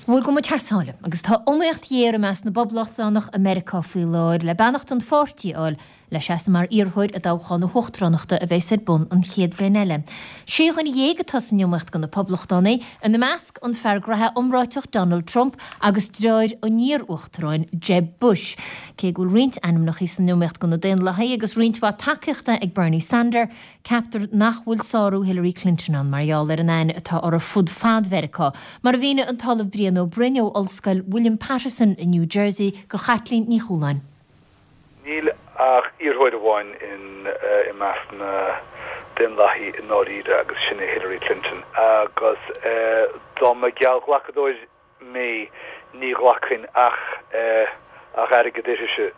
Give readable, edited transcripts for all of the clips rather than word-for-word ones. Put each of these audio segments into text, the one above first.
Bhuel, gabhfaidh muid thar sáile, agus tá iomaíocht ghéar i measc na bPoblachtánach i Meiriceá faoi láthair le beannacht an pháirtí a fháil le seasamh mar iarrthóir i dtoghchán na huachtaránachta a bheas ar bun an chéad bhliain eile. Sé dhuine dhéag atá san iomaíocht do na Poblachtánaigh, ina measc an fear graithe iomráiteach Donald Trump agus deartháir an iar-uachtaráin Jeb Bush. Cé go bhfuil roinnt ainmneacha san iomaíocht do na Daonlathaigh agus roinnt mhaith tacaíochta ag Bernie Sander, Ceaptar nach bhfuil sárú Hillary Clinton ann mar gheall ar an aithne atá uirthi fud fad Mheiriceá, mar a mhínigh an tOllamh Brian Ó Broin ó Ollscoil William Paterson i New Jersey do Chaitlín Ní Chualáin. Níl ach iarrthóir amháin i measc na Daonlathaí i ndáiríre agus sin é Hillary Clinton. Agus dá mba geallghlacadóir mé ní ghlacfainn ach ach airgead uirthise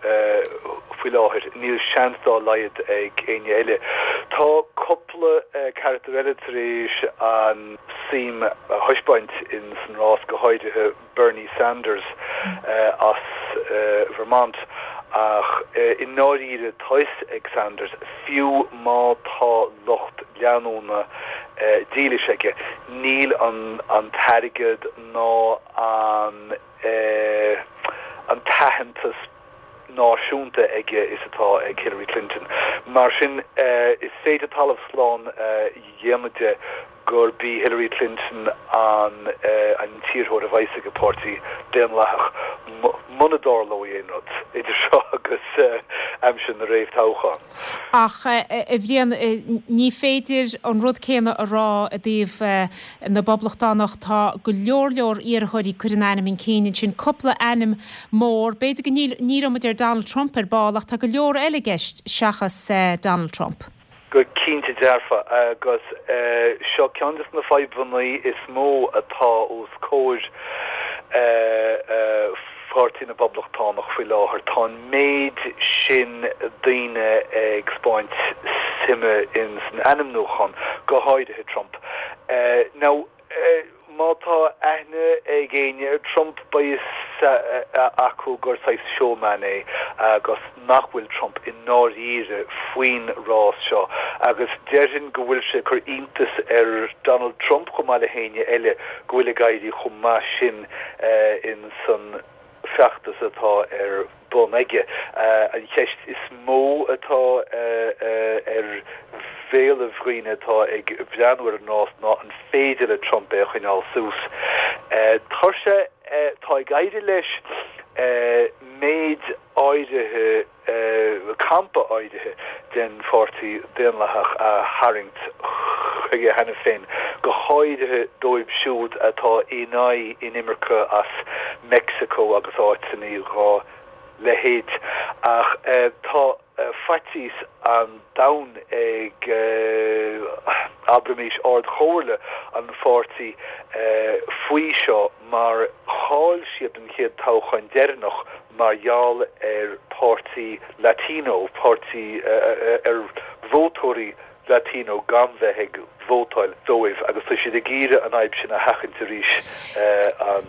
faoi láthair. Níl seans dá laghad ag éinne eile. Tá cúpla carachtar eile tar éis an suim a thaispeáint in san rás, go háirithe Bernie Sanders as Vermont, ach i ndáiríre tá fhios ag Sanders, fiú má tá lucht leanúna dílis aige, níl an t-airgead ná an an t-aitheantas náisiúnta aige is atá ag Hillary Clinton. Mar sin, is féidir talamh slán a dhéanamh de gurb í Hillary Clinton an an t-iarrthóir a bheas ag an bPáirtí Daonlathach muna dtarlóidh aon rud idir seo agus aimsir na réamhthoghchán. Ach, a Bhriain, ní féidir an rud céanna a rá i dtaobh na bPoblachtánach. Tá go leor leor iarrthóirí curtha a n-ainm chun cinn ansin, cúpla ainm mór. B'fhéidir go ndíreoidh muid ar Donald Trump ar ball ach tá go leor eile i gceist seachas Donald Trump. Go cinnte dearfa, agus seo ceann de na fadhbanna is mó atá os comhair Pháirtí na bPoblachtánach faoi láthair. Tá an méid sin daoine ag 'spáint suime in san ainmniúchán, go háirithe Trump. Now. Má tá aithne ag éinne ar Trump, beidh fhios acu gur saghas showman é agus nach bhfuil Trump i ndáiríre faoin rás seo. Agus déarfainn go bhfuil sé ag cur iontas ar Donald Trump chomh maith le héinne eile go bhfuil ag éirí chomh maith sin in san feachtas atá ar bun aige. An cheist is mó atá ar bhéalaibh dhaoine atá ag breathnú ar an rás ná an féidir le Trump é a choinneáil suas. Tá sé, tá ag éirí leis méid áirithe, campa áirithe den Pháirtí Daonlathach a tharraingt chuige cheana féin, go háirithe dóibh siúd atá in aghaidh inimirce as Meicsiceo agus áiteanna dhá leithéid. Ach tá faitíos an domhain ag, abraimis, Ard-Chomhairle an pháirtí faoi seo mar chaill siad an chéad toghchán deireanach mar gheall ar pháirtí Latino, páirtí, ar vótóirí Latino gan bheith ag vótáil dóibh agus tá siad ag iarraidh an fhadhb sin a sheachaint arís an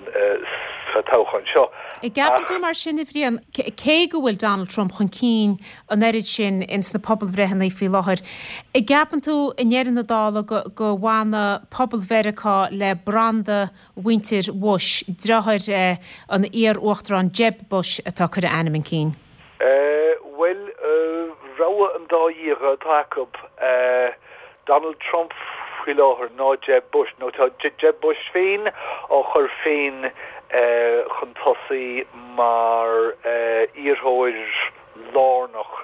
sa toghchán seo. An gceapann tú mar sin, a Bhriain, cé go bhfuil Donald Trump chun cinn an oiread sin ins na pobalbhreitheanna faoi láthair, an gceapann tú i ndeireadh na dála go go bhfanfaidh pobal Mheiriceá le branda mhuintir Bhush, deartháir an iar-uachtaráin Jeb Bush atá ag cur a ainm chun cinn? Bhuel, rogha an dá dhíogha atá acu, Donald Trump faoi láthair ná Jeb Bush. Nó tá Jeb Bush féin á chur féin chun tosaigh mar iarrthóir lárnach,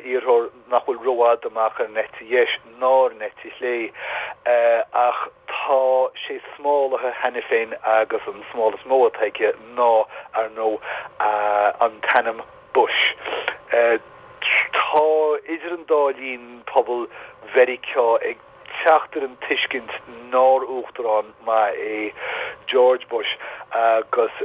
iarrthóir nach bhfuil rófhada amach ar an eite dheis ná ar an eite chlé, ach tá sé smálaithe cheana féin agus an smál is mó atá aige ná, ar ndóigh, an t-ainm Bush. Tá idir an dá linn pobal Mheiriceá ag teacht ar an tuiscint nár uachtarán maith é George Bush agus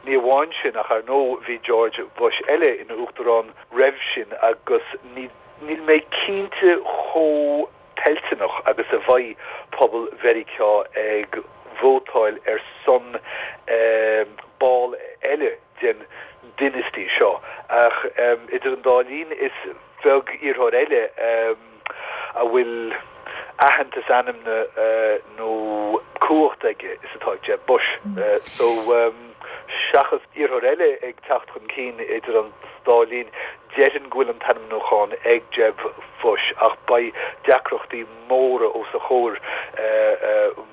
ní amháin sin ach ar ndóigh bhí George Bush eile ina uachtarán roimh sin agus níl mé cinnte chomh toilteanach agus a bheidh pobal Mheiriceá ag vótáil ar son ball eile den dynasty seo. Ach idir an dá linn is beag iarrthóir eile a bhfuil aitheantas ainmne nó. cumhacht aige is atá ag Jeb Bush. So, seachas iarrthóir eile ag teacht chun cinn idir an dá linn, déarfainn go bhfuil an t-ainmniúchán ag Jeb Bush ach beidh deacrachtaí móra os a chomhair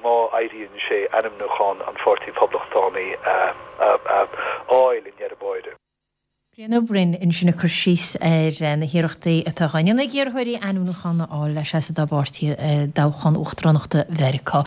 má éiríonn sé ainmniúchán an Pháirtí Phoblachtánaigh a fháil i ndeireadh báire. Brian Ó Broin ansin ag cur síos ar na hiarrachtaí atá á ndéanamh ag iarrthóirí ainmniúchán a fháil le seasamh dá bpáirtí i dtoghchán uachtaránachta Mheiriceá.